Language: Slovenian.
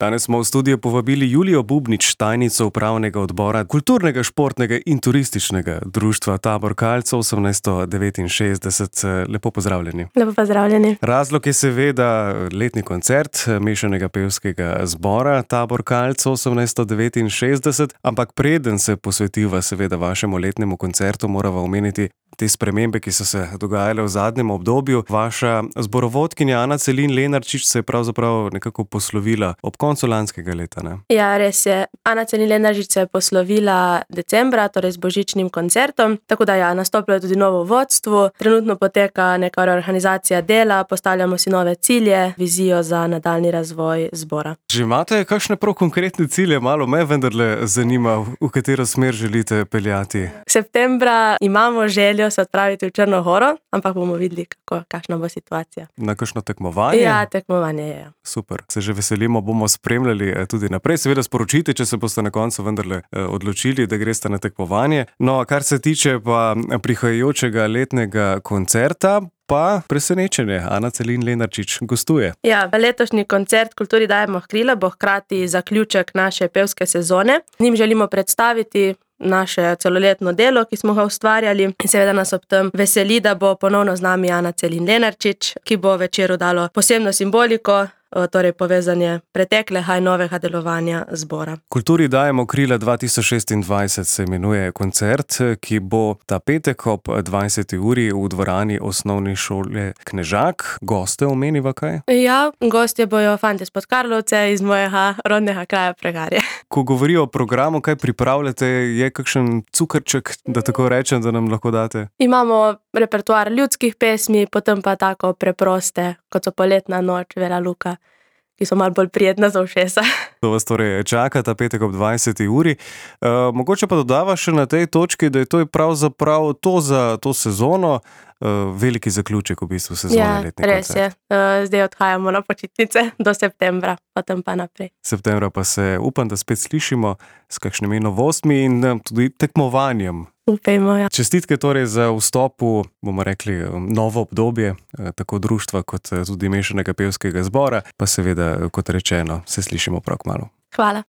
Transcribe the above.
Danes smo v studio povabili Julijo Bubnič, tajnico upravnega odbora kulturnega, športnega in turističnega društva Tabor Kalc 1869. Lepo pozdravljeni. Lepo pozdravljeni. Razlog je seveda letni koncert mešanega pevskega zbora Tabor Kalc 1869, ampak preden se posvetiva seveda vašemu letnemu koncertu, morava omeniti te spremembe, ki so se dogajale v zadnjem obdobju. Vaša zborovodkinja Ana Celin Lenarčič se je pravzaprav nekako poslovila ob koncu lanskega leta, ne? Ja, res je. Ana Celin Lenarčič se je poslovila decembra, torej z božičnim koncertom, tako da nastopilo je tudi novo vodstvo. Trenutno poteka neka reorganizacija dela, postavljamo si nove cilje, vizijo za nadaljnji razvoj zbora. Že imate kakšne prav konkretne cilje? Malo me vendarle zanima, v katero smer želite peljati. Septembra imamo željo se odpraviti v Črno Goro, ampak bomo videli, kakšna bo situacija. Na kakšno tekmovanje? Ja, tekmovanje je. Super, se že veselimo, bomo spremljali tudi naprej. Seveda sporočite, če se boste na koncu vendarle odločili, da greste na tekmovanje. No, kar se tiče pa prihajajočega letnega koncerta, pa presenečenje. Ana Celin Lenarčič gostuje. Ja, letošnji koncert Kulturi dajemo krila bo hkrati zaključek naše pevske sezone. Njim želimo predstaviti naše celoletno delo, ki smo ga ustvarjali, in seveda nas ob tem veseli, da bo ponovno z nami Ana Celin Lenarčič, ki bo večeru dalo posebno simboliko, torej povezanje preteklega in novega delovanja zbora. Kulturi dajemo krila 2026 se imenuje koncert, ki bo ta petek ob 20. uri v dvorani osnovne šole Knežak. Goste omeniva kaj? Ja, gostje bojo fantje iz Podkarlovce, iz mojega rodnega kraja Pregarje. Ko govorijo o programu, kaj pripravljate, je kakšen cukrček, da tako rečem, da nam lahko date? Imamo repertoar ljudskih pesmi, potem pa tako preproste, kot so Poletna noč, Vela Luka, ki so malo bolj prijetna za ušesa. To vas torej čaka ta petek ob 20. uri. Mogoče pa dodava še na tej točki, da je to pravzaprav to za to sezono, veliki zaključek v bistvu sezone letni koncert. Res je. Zdaj odhajamo na počitnice do septembra, potem pa naprej. Septembra pa se upam, da spet slišimo s kakšnimi novostmi in tudi tekmovanjem. Upejmo, ja. Čestitke torej za vstop v, bomo rekli, novo obdobje, tako društva kot tudi mešanega pevskega zbora, pa seveda, kot rečeno, se slišimo prav kmalu. Hvala.